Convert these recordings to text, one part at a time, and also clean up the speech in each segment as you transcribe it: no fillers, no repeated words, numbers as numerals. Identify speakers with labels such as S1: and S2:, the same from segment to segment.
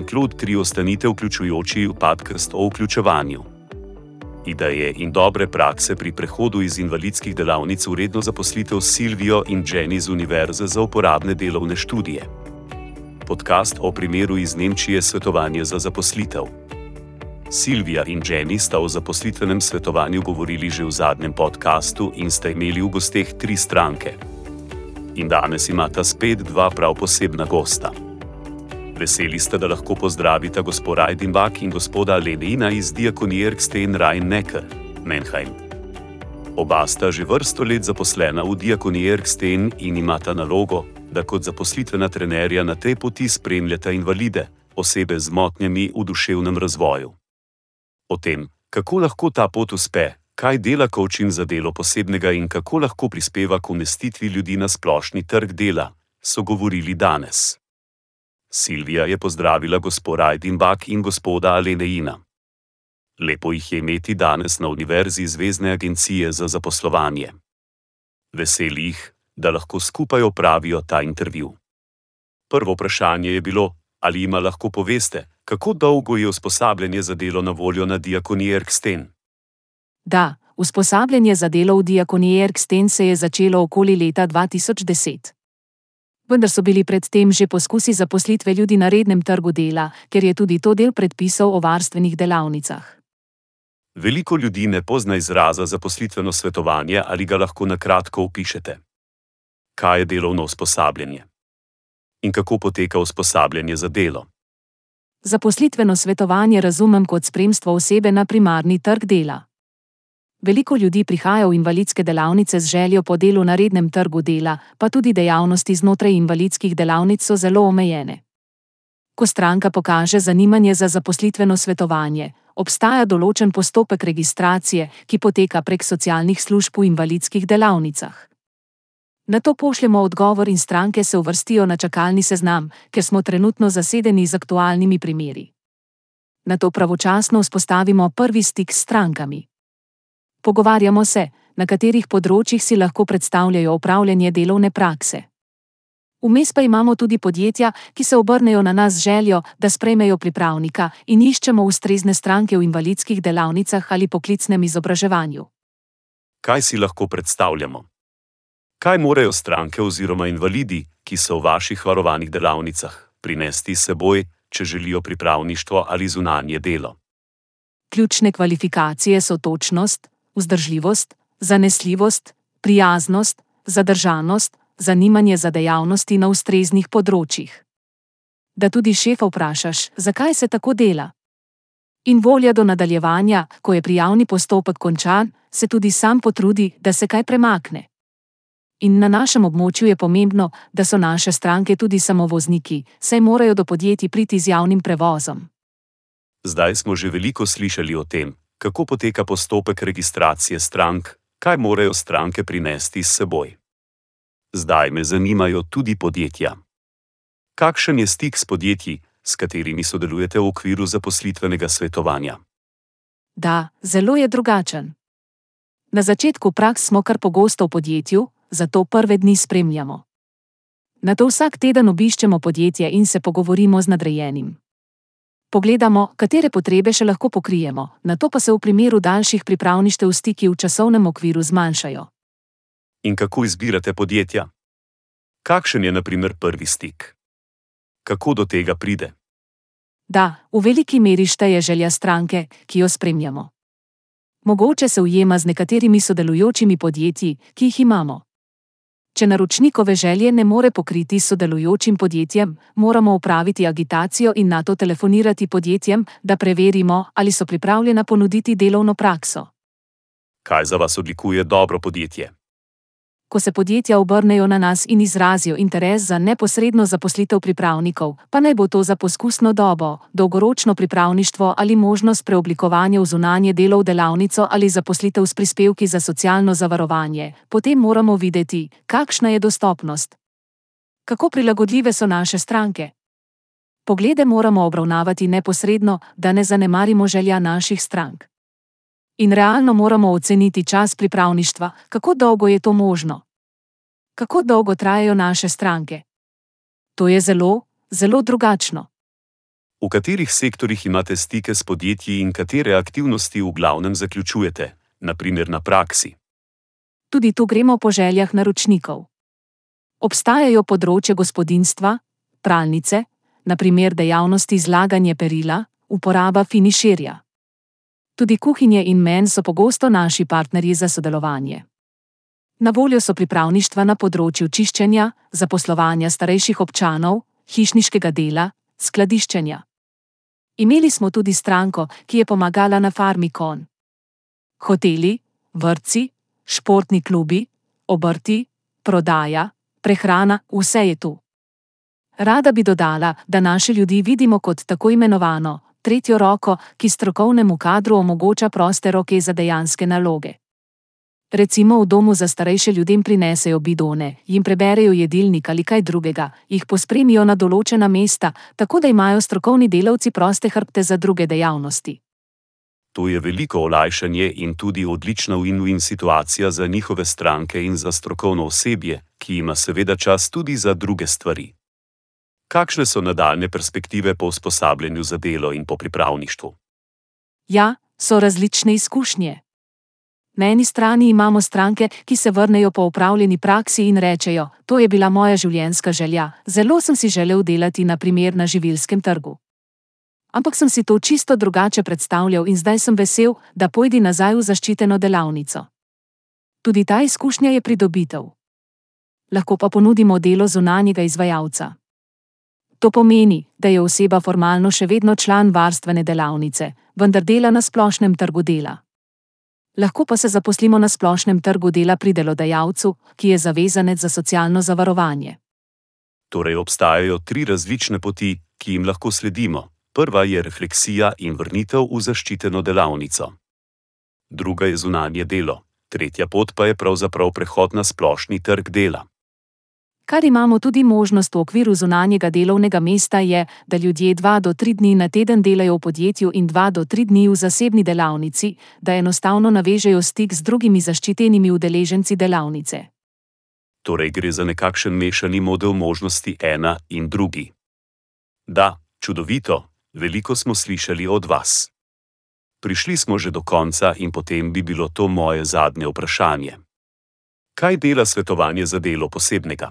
S1: Jean-Claude 3 ostanite vključujoči podcast o vključevanju. Ideje in dobre prakse pri prehodu iz invalidskih delavnic v redno zaposlitev s Silvijo in Jenny z Univerze za uporabne delovne študije. Podcast o primeru iz Nemčije svetovanje za zaposlitev. Silvija in Jenny sta o zaposlitvenem svetovanju govorili že v zadnjem podkastu in sta imeli v gosteh 3 stranke. In danes imata spet 2 prav posebna gosta. Veseli ste, da lahko pozdravita gospod Reidenbach in gospoda Lenina iz Diakonie Ergstein Rhein-Neckar, Mannheim. Oba sta že vrsto let zaposlena v Diakoniji Ergstein in imata nalogo, da kot zaposlitvena trenerja na tej poti spremljata invalide, osebe z motnjami v duševnem razvoju. O tem, kako lahko ta pot uspe, kaj dela coaching za delo posebnega in kako lahko prispeva k umestitvi ljudi na splošni trg dela, so govorili danes. Silvija je pozdravila gospod Reidenbach in gospoda Lenina. Lepo jih je imeti danes na Univerzi Zvezne agencije za zaposlovanje. Veseli jih, da lahko skupaj opravijo ta intervju. Prvo vprašanje je bilo, ali jima lahko poveste, kako dolgo je usposabljanje za delo na voljo na Diakoniji Ergstein?
S2: Da, usposabljanje za delo v Diakoniji Ergstein se je začelo okoli leta 2010. Vendar so bili predtem že poskusi zaposlitve ljudi na rednem trgu dela, ker je tudi to del predpisov o varstvenih delavnicah.
S1: Veliko ljudi ne pozna izraza zaposlitveno svetovanje, ali ga lahko na kratko opišete. Kaj je delovno usposabljanje? In kako poteka usposabljanje za delo?
S2: Zaposlitveno svetovanje razumem kot spremstvo osebe na primarni trg dela. Veliko ljudi prihaja v invalidske delavnice z željo po delu na rednem trgu dela, pa tudi dejavnosti znotraj invalidskih delavnic so zelo omejene. Ko stranka pokaže zanimanje za zaposlitveno svetovanje, obstaja določen postopek registracije, ki poteka prek socialnih služb v invalidskih delavnicah. Nato pošljemo odgovor in stranke se uvrstijo na čakalni seznam, ker smo trenutno zasedeni z aktualnimi primeri. Nato pravočasno vzpostavimo prvi stik s strankami. Pogovarjamo se, na katerih področjih si lahko predstavljajo opravljanje delovne prakse. Vmes pa imamo tudi podjetja, ki se obrnejo na nas z željo, da sprejmejo pripravnika in iščemo ustrezne stranke v invalidskih delavnicah ali poklicnem izobraževanju.
S1: Kaj si lahko predstavljamo? Kaj morajo stranke oziroma invalidi, ki so v vaših varovanih delavnicah, prinesti s seboj, če želijo pripravništvo ali zunanje delo?
S2: Ključne kvalifikacije so točnost, vzdržljivost, zanesljivost, prijaznost, zadržanost, zanimanje za dejavnosti na ustreznih področjih. Da tudi šefa vprašaš, zakaj se tako dela. In volja do nadaljevanja, ko je prijavni postopek končan, se tudi sam potrudi, da se kaj premakne. In na našem območju je pomembno, da so naše stranke tudi samovozniki, saj morajo do podjetij priti z javnim prevozom.
S1: Zdaj smo že veliko slišali o tem, kako poteka postopek registracije strank, kaj morajo stranke prinesti s seboj. Zdaj me zanimajo tudi podjetja. Kakšen je stik s podjetji, s katerimi sodelujete v okviru zaposlitvenega svetovanja?
S2: Da, zelo je drugačen. Na začetku praks smo kar pogosto v podjetju, zato prve dni spremljamo. Nato vsak teden obiščemo podjetje in se pogovorimo z nadrejenim. Pogledamo, katere potrebe še lahko pokrijemo, nato pa se v primeru daljših pripravništev stiki v časovnem okviru zmanjšajo.
S1: In kako izbirate podjetja? Kakšen je na primer prvi stik? Kako do tega pride?
S2: Da, v veliki meri šteje želja stranke, ki jo spremljamo. Mogoče se ujema z nekaterimi sodelujočimi podjetji, ki jih imamo. Če naročnikove želje ne more pokriti s sodelujočim podjetjem, moramo opraviti agitacijo in nato telefonirati podjetjem, da preverimo, ali so pripravljena ponuditi delovno prakso.
S1: Kaj za vas odlikuje dobro podjetje?
S2: Ko se podjetja obrnejo na nas in izrazijo interes za neposredno zaposlitev pripravnikov, pa naj bo to za poskusno dobo, dolgoročno pripravništvo ali možnost preoblikovanja v zunanje delo v delavnico ali zaposlitev s prispevki za socialno zavarovanje, potem moramo videti, kakšna je dostopnost. Kako prilagodljive so naše stranke? Poglede moramo obravnavati neposredno, da ne zanemarimo želja naših strank. In realno moramo oceniti čas pripravništva, kako dolgo je to možno. Kako dolgo trajajo naše stranke? To je zelo, zelo drugačno.
S1: V katerih sektorjih imate stike s podjetji in katere aktivnosti v glavnem zaključujete, naprimer na praksi?
S2: Tudi tu gremo po željah naročnikov. Obstajajo področje gospodinjstva, pralnice, naprimer dejavnosti zlaganje perila, uporaba finišerja. Tudi kuhinje in men so pogosto naši partnerji za sodelovanje. Na voljo so pripravništva na področju čiščenja, zaposlovanja starejših občanov, hišniškega dela, skladiščenja. Imeli smo tudi stranko, ki je pomagala na farmi konj. Hoteli, vrtci, športni klubi, obrti, prodaja, prehrana, vse je tu. Rada bi dodala, da naše ljudi vidimo kot tako imenovano tretjo roko, ki strokovnemu kadru omogoča proste roke za dejanske naloge. Recimo v domu za starejše ljudem prinesejo bidone, jim preberejo jedilnik ali kaj drugega, jih pospremijo na določena mesta, tako da imajo strokovni delavci proste hrbte za druge dejavnosti.
S1: To je veliko olajšanje in tudi odlična win-win situacija za njihove stranke in za strokovno osebje, ki ima seveda čas tudi za druge stvari. Kakšne so nadaljne perspektive po usposabljanju za delo in po pripravništvu?
S2: Ja, so različne izkušnje. Na eni strani imamo stranke, ki se vrnejo po opravljeni praksi in rečejo: to je bila moja življenjska želja, zelo sem si želel delati naprimer na živilskem trgu. Ampak sem si to čisto drugače predstavljal in zdaj sem vesel, da pojdi nazaj v zaščiteno delavnico. Tudi ta izkušnja je pridobitev. Lahko pa ponudimo delo zunanjega izvajalca. To pomeni, da je oseba formalno še vedno član varstvene delavnice, vendar dela na splošnem trgu dela. Lahko pa se zaposlimo na splošnem trgu dela pri delodajalcu, ki je zavezanec za socialno zavarovanje.
S1: Torej obstajajo 3 različne poti, ki jim lahko sledimo. Prva je refleksija in vrnitev v zaščiteno delavnico. Druga je zunanje delo, tretja pot pa je pravzaprav prehod na splošni trg dela.
S2: Kar imamo tudi možnost v okviru zunanjega delovnega mesta je, da ljudje 2 do 3 dni na teden delajo v podjetju in 2 do 3 dni v zasebni delavnici, da enostavno navežejo stik z drugimi zaščitenimi udeleženci delavnice.
S1: Torej gre za nekakšen mešani model možnosti ena in drugi. Da, čudovito, veliko smo slišali od vas. Prišli smo že do konca in potem bi bilo to moje zadnje vprašanje. Kaj dela svetovanje za delo posebnega?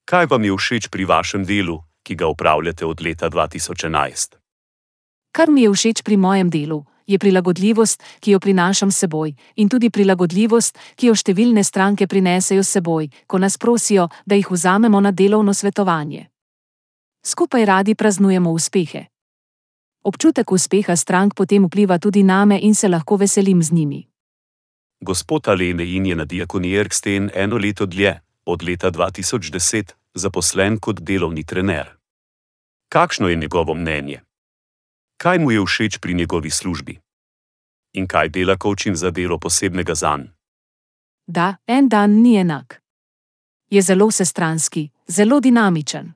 S1: Kaj vam je všeč pri vašem delu, ki ga opravljate od leta 2011?
S2: Kar mi je všeč pri mojem delu, je prilagodljivost, ki jo prinašam s seboj, in tudi prilagodljivost, ki jo številne stranke prinesejo s seboj, ko nas prosijo, da jih vzamemo na delovno svetovanje. Skupaj radi praznujemo uspehe. Občutek uspeha strank potem vpliva tudi name in se lahko veselim z njimi.
S1: Gospod Alenein je na Diakoniji Erkstein 1 leto dlje, od leta 2010, zaposlen kot delovni trener. Kakšno je njegovo mnenje? Kaj mu je všeč pri njegovi službi? In kaj dela coaching za delo posebnega zanj?
S2: Da, en dan ni enak. Je zelo vsestranski, zelo dinamičen.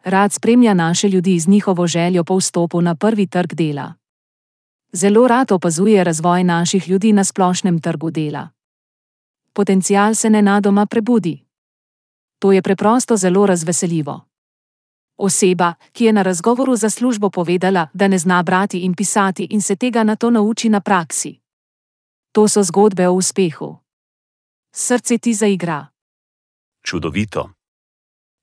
S2: Rad spremlja naše ljudi z njihovo željo po vstopu na prvi trg dela. Zelo rad opazuje razvoj naših ljudi na splošnem trgu dela. Potencial se nenadoma prebudi. To je preprosto zelo razveseljivo. Oseba, ki je na razgovoru za službo povedala, da ne zna brati in pisati in se tega nato nauči na praksi. To so zgodbe o uspehu. Srce ti zaigra.
S1: Čudovito.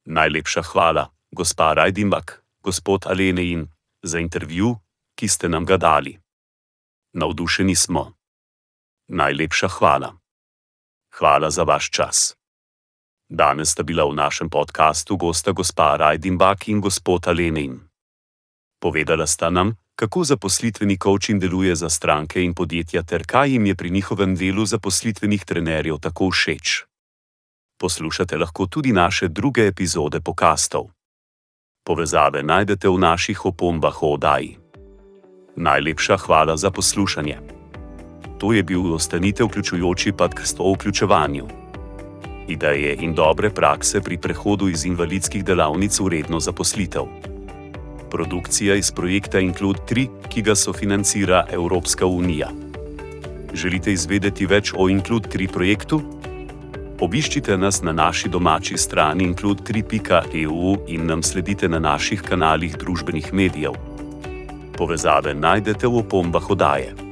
S1: Najlepša hvala, gospa Rajdimbak, gospod Alenein, za intervju, ki ste nam ga dali. Navdušeni smo. Najlepša hvala. Hvala za vaš čas. Danes sta bila v našem podkastu gosta gospa Rajdimbak in gospod Alenein. Povedala sta nam, kako zaposlitveni coaching deluje za stranke in podjetja ter kaj jim je pri njihovem delu zaposlitvenih trenerjev tako všeč. Poslušate lahko tudi naše druge epizode podkastov. Povezave najdete v naših opombah o oddaji. Najlepša hvala za poslušanje. To je bil Ostanite vključujoči podcast o vključevanju. Ideje in dobre prakse pri prehodu iz invalidskih delavnic v redno zaposlitev. Produkcija iz projekta Include 3, ki ga sofinancira Evropska unija. Želite izvedeti več o Include 3 projektu? Obiščite nas na naši domači strani include3.eu in nam sledite na naših kanalih družbenih medijev. Povezave najdete v opombah oddaje.